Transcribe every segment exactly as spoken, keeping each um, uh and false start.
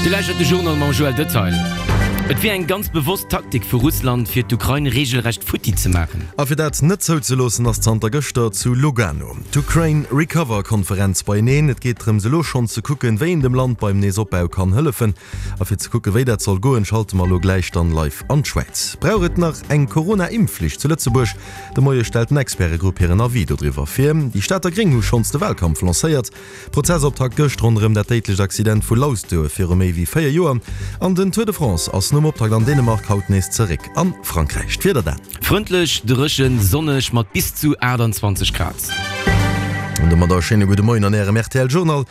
Dir lauschtert de Journal mam Joël Detail. Et wier eng ganz bewosst Taktik vu Russland, fir d'Ukrain reegelrecht futti ze maachen. A fir dat net zouzeloossen, ass zanter gëschter zu Lugano d'Ukraine Recover Konferenz beieneen. Et geet drëms elo schonn ze kucken, wéi een dem Land beim Neesopbau kann hëllefen. A fir ze kucken, wéi dat soll goen, schalte mer elo gläich dann live an d'Schwäiz. Brauch et nach eng Corona-Impfflicht zu Lëtzebuerg? De Moie stellt en Expertegrupp hiren Avis dodriwwer vir. Déi Stater Gréng hu schonns de Walkampf lancéiert. Prozessoptakt gëscht ronderëm dat déidlecht Accident vu Lausduer viru méi wéi véier Joer. An den Tour de France ass nom Optakt an Dänemark haut nees zeréck a Frankräich. D'Wieder dan. Frëndlech, dréchen, sonneg mat bis zu aachtanzwanzeg Grad. An domadder e schéine gudde Moien an Ärem R T L Journal.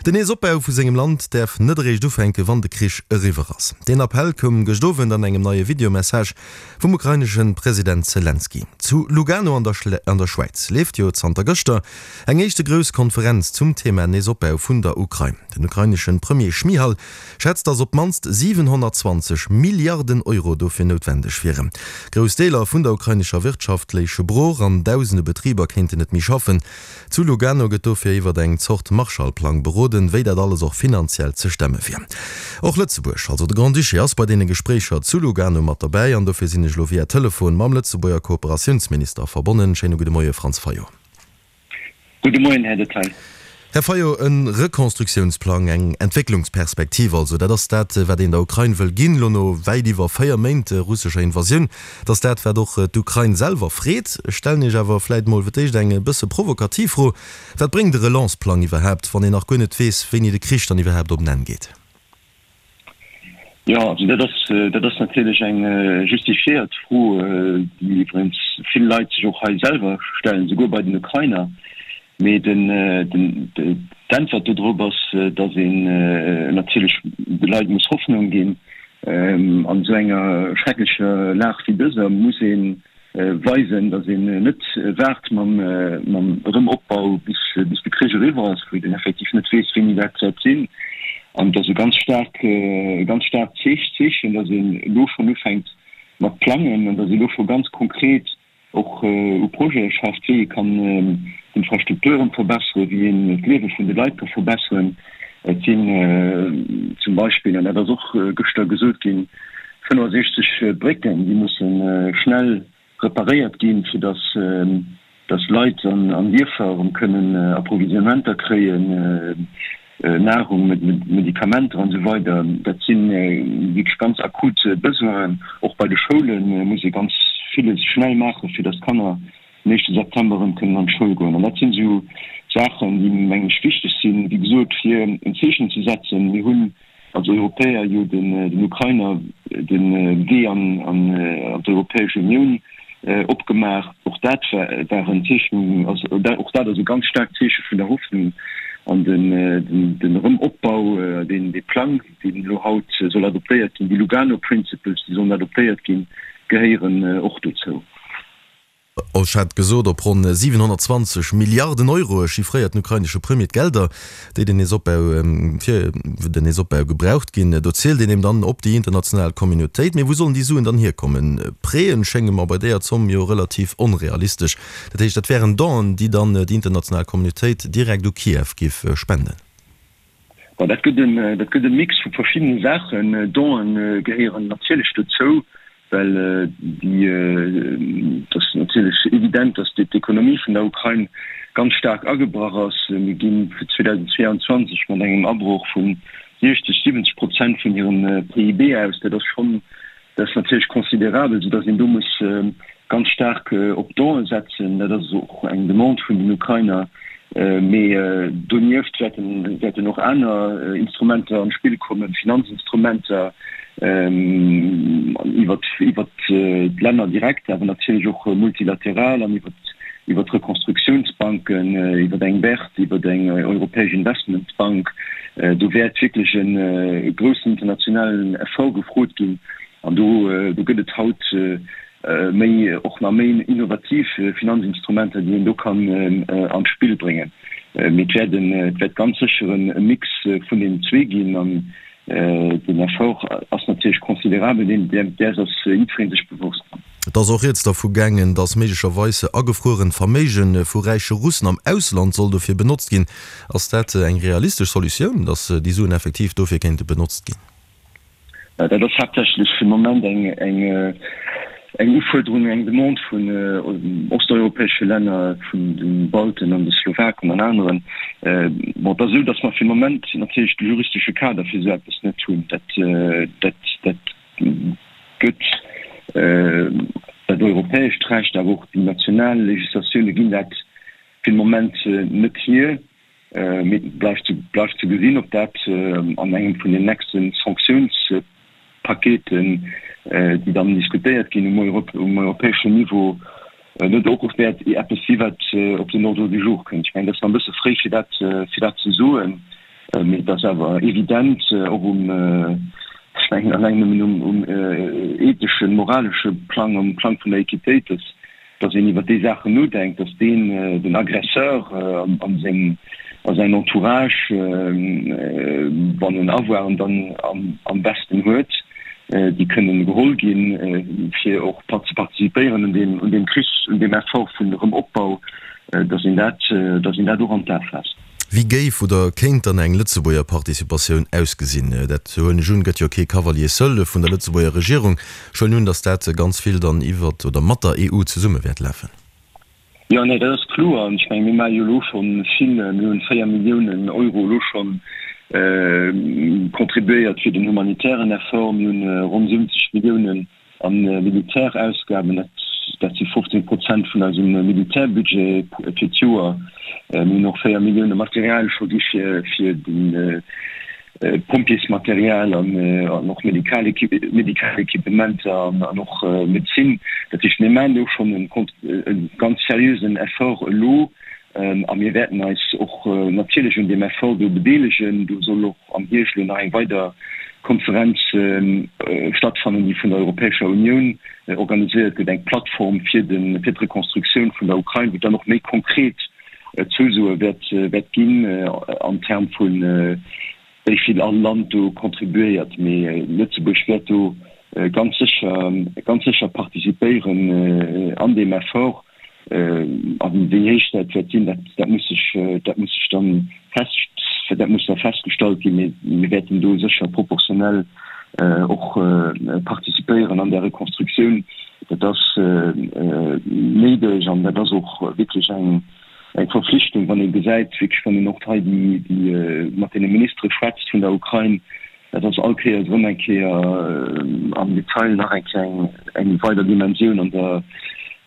Den Neesopbau vu sengem Land däerf net eréischt ufänken, wann de Krich eriwwer ass. Deen Appell koum gëscht Owend an engem neie Videomessage vum ukrainesche President Selenskyj. Zu Lugano an der Schwäiz leeft jo zanter gëschter eng éischte grouss Konferenz zum Thema Neesopbau vun der Ukrain. Den ukrainesche Premier Schmyhal schätzt, datt op d'mannst siwenhonnertzwanzeg Milliarden Euro dofir noutwendeg wieren. Grouss Deeler vun der ukrainescher Wirtschaft léiche brooch an dausende Betriber kéinten net méi schaffen. Zu Lugano gëtt dofir iwwert eng Zort Marshallplang beroden, wéi dat alles och finanziell ze stemme wier. Och Lëtzebuerg, also de Grand-Duché, ass bei deene Gespréicher zu Lugano mat derbäi an dofir sinn ech elo via Telefon mam Lëtzebuerger Kooperatiounsminister verbonnen. Schéine gudde Moie Franz Fayot. Gudde Moien, Här Detail. Här Fayot, e Rekonstruktiounsplang, eng Entwécklungsperspektiv also, dat ass dat, wat een der Ukrain wëll ginn, elo no wäit iwwer véier Méint russescher Invasioun. Dat ass dat, wat och d'Ukrain selwer freet. Ech stellen Iech awer vläit mol fir d'éischt eng e bësse provokativ Fro, Wat bréngt e Relanceplang iwwerhaapt, wann een nach guer net weess, wéini de Krich dann iwwerhaapt op en Enn geet? Jo, also dat ass, dat ass natierlech eng justifiéiert Fro, déi iwwregens vill Leit sech och hei selwer stellen, souguer bei den Ukrainer. Mee den, den, d'Äntwert dodrop ass, datt een natierlech de Leit muss Hoffnung ginn. An esou enger schrecklecher Lag wéi dëser muss ee weisen, datt een net waart mam Erëmopbau, bis de Krich eriwwer ass, wou een effektiv net weess, wéini dat wäert sinn. An et ass e ganz staark, e ganz staarkt Zeechen, datt een elo schonn ufänkt mat plangen an datt ee elo scho ganz konkret och u Projete schafft, wéi ee kann d'Infrastrukturen verbesseren, wéi een d'Liewe vun de Leit ka verbesseren. Et sinn zum Beispill, an dat ass och gëschter gesot ginn, fënnefasechzeg Brécken, déi musse schnell reparéiert ginn, fir datt datt Leit an Dierfer erëm kënnen Approvisionnementer kréien, Nahrung, Medikamenter an esou weider. Dat si wierklech ganz akut Besoinen. Och bei de Schoule muss ee ganz villes schnell maachen, fir datt d'Kanner den éischte September erëm kënnen an d'Schoul goen. An dat sinn esou Saachen, déi, mengen ech, wichteg sinn, wéi gesot, fir en Zeechen ze setzen. Mir hunn als Europäer jo den Ukrainer de Wee an d'Europäesch Unioun opgemaach. Och dat war en Zeechen, och dat ass e ganz staarkt Zeeche vun der Hoffnung. An den Erëmopbau, dee Plang, deen elo haut soll adoptéiert ginn, déi Lugano Principles, déi sollen adoptéiert ginn, gehéieren och dozou. Ech hat gesot, op ronn siwenhonnertzwanzeg Milliarden Euro chiffréiert den ukrainesche Premier d'Gelder, déi den Neesopbau, fir den Neesopbau gebraucht ginn. Do zielt een eben dann op déi international Communautéit. Mee wou sollen déi Suen dann hierkommen? Prêten schénge mer bei deeër Zomm jo relativ onrealistesch. Dat heescht, dat wären Donen, déi dann déi international Communautéit direkt u Kiew giff spenden. Bon, dat gëtt en, dat gëtt e Mix vu verschiddene Saachen. Donen gehéieren natierlech dozou, well déi, et ass natierlech evident, datt d'Ekonomie vun der Ukrain ganz staark agebrach ass. Mir gi fir zweedausendzweeanzwanzeg mat engem Abroch vu siechzeg, siwwenzeg Prozent vun hirem P I B aus. Dat ass schonn, dat ass natierlech considerabel, soudatt een do muss ganz staark op Donen setzen. Dat ass och eng Demande vun den Ukrainer. Mee donieft wäerten och aner Instrumenter an d'Spill kommen, Finanzinstrumenter iwwert d'Länner direkt, awer natierlech och multilateral an iwwert d'Rekonstruktiounsbanken, iwwert eng BERD, iwwert eng europäesch Investmentbank. Do wäert wierklech e groussen internationalen Effort gefrot ginn. An do gëtt et haut méi, och nach méi innovativ Finanzinstrumenter, déi een do kann an d'Spill bréngen. Mee et wäert en, et wäert ganz sécher e Mix vun deenen zwee ginn. An den Effort ass natierlech considerabel, deen, däers ass jiddweree sech bewosst. Et ass och rieds dervu gaangen, datt méiglecherweis agefruerent Verméige vu räiche Russen am Ausland soll dofir benotzt ginn. Ass dat eng realistesch Solutioun, datt déi Suen effektiv dofir kéinte benotzt ginn? Dat ass haaptsächlech fir de Moment eng eng Ufuerderung, eng Demande vun osteuropäesche Länner, vun de Balten an de Slowaken an aneren. Bon, et ass esou, datt mer fir de Moment natierlech de juristesche Kader fir esou eppes net hunn. Dat, dat, dat gëtt dat europäescht Recht, awer och déi national Legislatioune ginn dat fir de Moment net hier. Mee et bleift ze, bleift ze gesinn, ob dat an engem vun den nächste Sanktionspaketen, déi dann diskutéiert ginn um europäeschen Niveau, net och wäert eppes si wat op den Ordre du jour kënnt. Ech mengen, dat ass nach e bësse fréi fir dat, fir dat ze soen, mee et ass awer evident, och um, ech mengen alleng nëmmen um, um etheschen, moralesche Plang, um Plang vun der Equitéit, dass, dass een iwwert déi Saachen nodenkt, dass deen, den Aggresseur an seng, a säin Entourage, wann en Avoiren dann am besten huet, déi kënnen geholl ginn, fir och ze participéieren un deem, un deem Krich, un deem Effort vun Erëm-Opbau, dass een dat, dass een dat och an d'A faasst. Wéi géif oder kéint dann eng Lëtzebuerger Participatioun ausgesinn? Dat, huelen ech un, gëtt jo kee Cavalier seul vun der Lëtzebuerger Regierung. Ech huelen un, datt dat ganz vill dann iwwert oder mat der E U zesumme wäert lafen. Jo, nee, dat ass kloer. An ech mengen, mir maache jo elo scho vill. Mir hunn véier Milliounen Euro elo scho contribuéiert fir den humanitären Effort. Mir hunn ronn siwwenzeg Milliounen a Militärausgaben. Dat, dat si fofzéng Prozent vun eisem Militärbudget fir d'Joer. Mir hunn och véier Millioune Material scho gi fir, fir de Pompjeesmaterial an och medikal medikal Equipementer an och Medezin. Dat heescht, mir maachen do schonn e ganz seriösen Effort elo a mir wäerten eis och natierlech un deem Effort do bedeelegen. Do soll och am Hierscht elo nach eng weider Konferenz stattfannen, déi vun der Europäescher Unioun organiséiert gëtt, eng Plattform fir de fir d'Rekonstruktioun vun der Ukrain, wou dann och méi konkret Zousoe wäert wäert ginn an Term vun wéi vill all Land do contribuéiert. Mee Lëtzebuerg wäert do ganz sécher ganz sécher participéieren an deem Effort. A wéi héich dat wäert sinn, dat dat muss sech dat muss sech dann fest dat muss da festgestallt ginn. Mee mir wäerten do sécher proportionell och participéieren an där Rekonstruktioun. Dat ass néideg an dat ass och wierklech eng eng Verflichtung, wann ee gesäit, wierklech wann een och hei déi déi mat deene Ministere schwätzt vun der Ukrain, dat ass all Kéiers erëm eng Kéier am Detail nach eng Kéier eng eng weider Dimensioun an der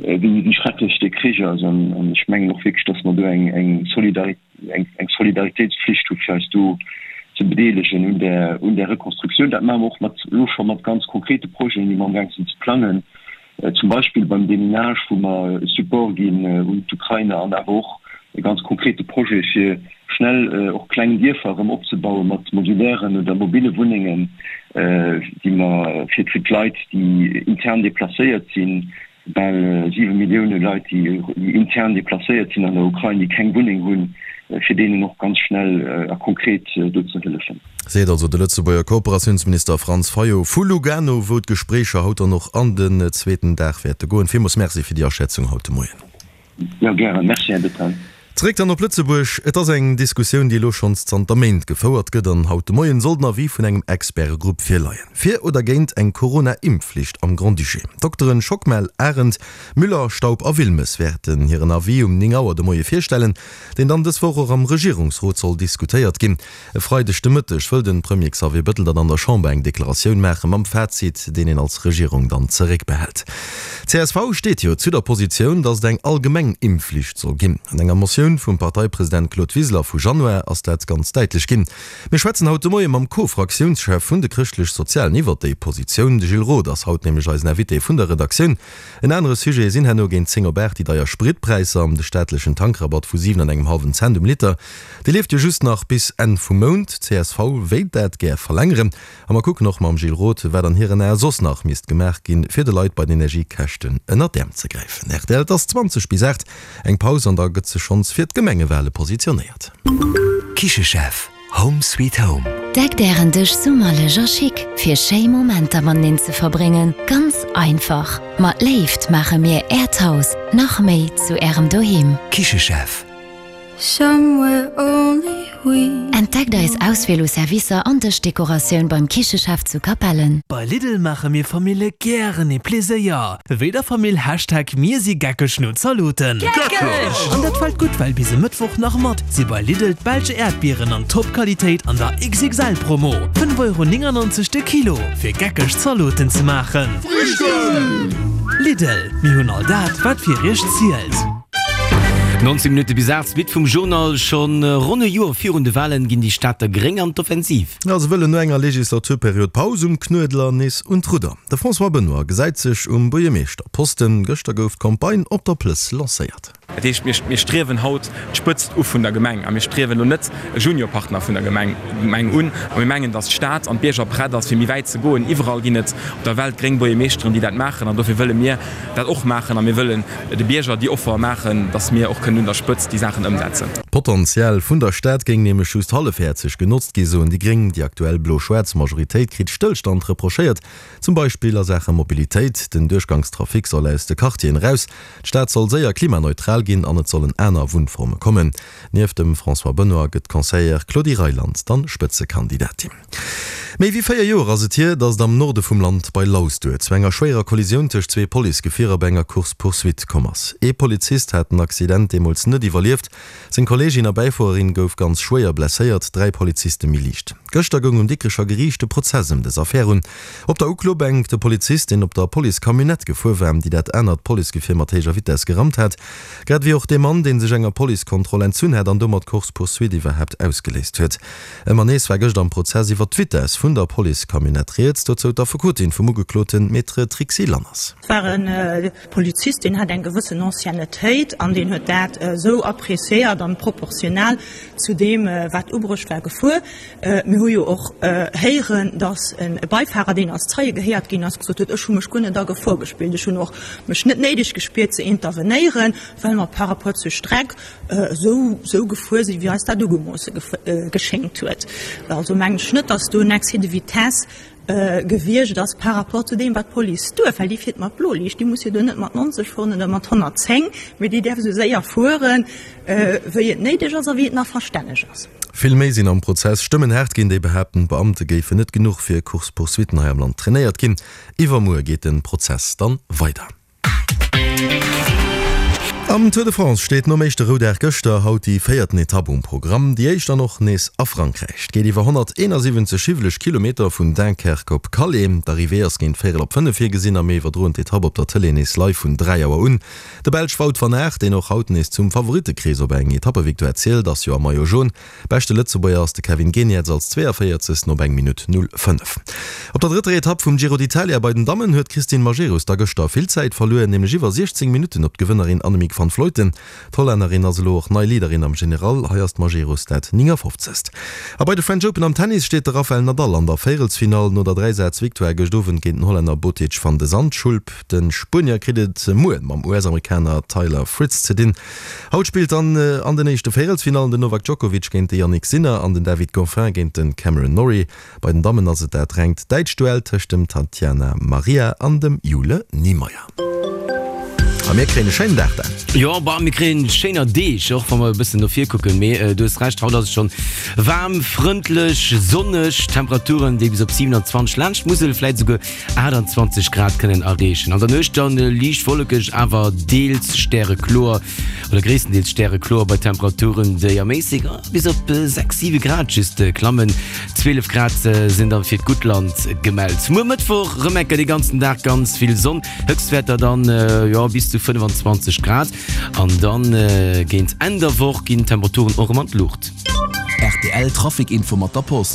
wéi wéi schrecklech dee Krich ass. An an ech mengen och wierklech, datt mer do eng eng Solidari eng eng Solidaritéitspflicht hu fir eis do ze bedeelegen un där un där Rekonstruktioun. Dat maache mer och mat elo scho mat ganz konkrete Projeten, déi mer amgaang sinn ze plangen. Zum Beispill beim Deminage, wou mer e Support ginn un d'Ukrainer an awer och e ganz konkrete Projet, fir schnell och kleng Dierfer erëm opzebaue mat modulären oder mobile Wunnengen, déi mer fir d'Leit, déi intern deplacéiert sinn, bal siwe Millioune Leit, déi intern deplacéiert sinn an der Ukrain, déi keng Wunneng hunn, fir deenen och ganz schnell a konkret do ze hëllefen. Seet also de Lëtzebuerger Kooperatiounsminister Franz Fayot vu Lugano, wou d'Gespréicher haut dann och an den zweeten Dag wäerte goen. Villmools Merci fir déi Aschätzung haut de Moien. Jo, gären. Merci, Här Bettel. Zeréck dann op Lëtzebuerg. Et ass eng Diskussioun, déi elo schonns zanter Méint gefouert gëtt an haut de Moien soll den Avis vun engem Expertegrupp virleien. Fir oder géint eng Corona-Impfflicht am Grand-Duché. D'Dokteren Schockmel, Arendt, Müller, Staub a Wilmes wäerten hiren Avis um néng Auer de Moie virstellen, deen dann dës Woch och am Regierungsrot soll diskutéiert ginn. E Freideg de Mëtteg wëll de Premier Xavier Bettel dann an der Chamber eng Deklaratioun maache mam Fazit, deen een als Regierung dann zeréckbehält. Csv steet jo zu der Positioun, datt et eng allgemeng Impfflicht soll ginn. An enger Motioun vum Parteipresident Claude Wiseler vu Januar ass dat ganz däitlech ginn. Mir schwätzen haut de Moie mam Co-Fraktiounschef vun de Chrëschtlech-Sozialen iwwert déi Positioun. De Gilles Roth ass haut nämlech eisen Invité vun der Redaktioun. En anere Sujet sinn herno géint zéng op aacht déi deier Spritpräisser an de staatlechen Tankrabatt vu siwen an engem hallwen Cent um Liter. Dee leeft jo just nach bis Enn vum Mount. Csv wéilt dat gär verlängeren. A mer kucken och mam Gilles Roth, wat an hiren Ae soss nach misst gemaach ginn, fir de Leit bei den Energiekäschten ënner d'Äerm ze gräifen. Rtl, Et ass zwanzeg bis aacht. Eng Paus an da gëtt sech schonns fir d'Gemengewale positionéiert. Kichechef, Home sweet home. Deckt ären Dësch summerlech a chic, fir schéi Momenter mateneen ze verbréngen, ganz einfach. Mat Léift maache mir Äert Haus nach méi zu Ärem Doheem. Kichechef. Entdeckt eis Auswiel u Servicer an Dëschdekoratioun beim Kichechef zu Capellen. Bei Lidl maache mir Famille gären ee Pleséier. Wéi der Famill Hashtag Mir si geckeg no Zaloten. Geckeg! An dat fält gutt, well bis e Mëttwoch nach mat si bei Lidl d'belsch Äerdbieren an Top-Qualitéit an der X X L Promo, fënnef Euro néngannonzeg de Kilo, fir geckeg Zaloten ze maachen. Frühstück! Lidl, mir hunn all dat, wat fir iech zielt. nonzéng Minutte bis aacht, Suite vum Journal. Schonn ronn e Joer virun de Walen ginn déi Stater Gréng an d'Offensiv. Ja, se wëllen no enger Legislaturperiod Paus um Knuedler nees un d'Rudder. De François Benoy gesäit sech um Buergermeeschterposten. Gëschter gouf d'Campagne op der Plëss lancéiert. Dat heescht, mir, mir striewen haut d'Spëtzt u vun der Gemeng a mir striewen elo net e Juniorpartner vun der Gemeng, Gemeng un. A mir mengen, datt d'Stad an d'Bierger prett ass, fir méi wäit ze goen. Iwwerall ginn et op der Welt gréng Buergermeeschteren, déi dat maachen an dofir wëlle mir dat och maachen a mir wëllen de Bierger déi Offer maachen, datt mir och kënnen un der Spëtzt déi Saachen ëmsetzen. D'Potential vun der Stad géing nämlech just hallefhäerzeg genotzt gi, soen déi Gréng. Déi aktuell blo-schwaarz Majoritéit kritt Stëllstand reprochéiert, zum Beispill a Saache Mobilitéit. Den Duerchgangstrafic soll aus de Quartieren eraus, d'Stad soll séier klimaneutral ginn an et sollen aner Wunnforme kommen. Nieft dem François Benoy gëtt d'Conseillère Claudie Reyland dann Spëtzekandidatin. Méi wéi véier Joer ass et hier, datt et am Norde vum Land bei Lausduer zu enger schwéierer Kollisioun tëscht zwee Policegefierer bei enger Course-poursuite komm ass. Ee Polizist hat den Accident deemools net iwwerlieft, seng Kolleegin a Bäifuererin gouf ganz schwéier blesséiert, dräi Poliziste méi liicht. Gëschter goung um Dikrecher Geriicht de Prozess ëm dës Affär un. Op der Uklobänk de Polizist, deen op der Police-Camionnette gefuer war, déi dat anert Policegefier mat héijer Vitess gerammt hat, grad ewéi och dee Mann, dee sech enger Policekontroll entzunn hat an domat d'Course-poursuite iwwerhaapt ausgeléist huet. Ëmmer nees war gëscht am Prozess iwwer d'Vitess vun der Police-Camionnette rieds, dozou d'Affekotin vum Ugekloten, Maître Trixi Lanners. Et war e Polizist, deen hat eng gewëssen Anciennetéit an deen huet dat esou appréciéiert an proportional zu deem, wat ubruecht war, gefuer. Mir hu jo och héieren, datt e Beifahrer, deen als Zeie gehéiert ginn ass, gesot huet, Ech hu mech guer net a Gefor gespillt, ech hunn och mech net néideg gespiert ze intervenéieren, well mer par rapport zur Streck esou esou gefuer sinn, wéi eis dat ugemoosse geschéngt huet. Also mengen ech net, datt do en Excès de vitesse gewiescht ass par rapport zu deem, wat d'Police duerf, well déi fiert mat Bloliicht, déi muss jo do net mat neunzeg fueren oder mat honnertzéng, mee déi däerf esou séier fueren, wéi et néideg ass a wéi et nach verstänneg ass. Vill méi sinn am Prozess Stëmmen haart ginn, déi behaapten, d'Beamte géifen net genuch fir Course-poursuitten hei am Land trainéiert ginn. Iwwermuer geet de Prozess dann weider. Am Tour de France steet nom éischte Roudag gëschter haut déi véierten Etapp um Programm. Déi éischt dann och nees a Frankräich. Et geet iwwer honnerteenasiwwenzeg hiwweleg Kilometer vun Dunkerque op Calais. D'Arrivée ass géint véierel op fënnef virgesinn a mir iwwerdroen d'Etapp op der Tëlee nees live vun dräi Auer un. De Belsch Wout van Aert, deen och haut nees zum Favorittekrees op eng Etappevictoire zielt, ass jo am Maillot jaune. Beschte Lëtzebuerger ass de Kevin Geniets als Zweeënvéierzegsten op eng Minutt null fënnef. Op der drëtter Etapp vum Giro d'Italia bei den Dammen huet d'Christine Majerus da gëschter vill Zäit verluer, nämlech iwwer siechzéng Minutten op d'Gewënnerin Annemiek van Vleuten. D'Hollännerin ass elo och nei Leaderin am General, hei ass d'Majerus dat néngafofzegst. A bei de French Open am Tennis steet de Rafael Nadal an der Véierelsfinall no der Dräisaz-Victoire gëscht Owend géint den Hollänner Botic van de Zandschulp. De Spuenier kritt et muer mam U S-Amerikaner Taylor Fritz ze dinn. Haut spillt dann an den éischte Véierelsfinallen den Novak Djokovic géint de Jannik Sinner an den David Goffin géint de Cameron Norrie. Bei den Dammen ass et dat rengt däitscht Duell tëscht dem Tatjana Maria an dem Jule Niemeier. A mir kréien e schéinen Dag dann. Jo, bah, mir kréien schéiner Deeg, och wa mer e bëssen no vir kucken. Mee du hues Recht, haut ass et schonn waarm, frëndlech, sonneg, Temperaturen, déi bis op siewenundzwanzeg laanscht d'Musel, vläit esouguer aachtandzwanzeg Grad kënnen erreechen. An der Nuecht dann liicht wollekeg, awer deels stärekloer oder gréisstendeels stärekloer bei Temperaturen, déi am méisseg bis op sechs, siwe Grad just klammen. Zwielef Grad sinn dann fir d'Guttland gemellt. Muer Mëttwoch rëm enker de ganzen Dag ganz vill Sonn, Höchstwäerter dann jo bis zu fënnefenzwanzeg Grad an dann géint Enn der Woch ginn d'Temperaturen och erëm an d'Luucht. R T L Trafic Info mat der Post.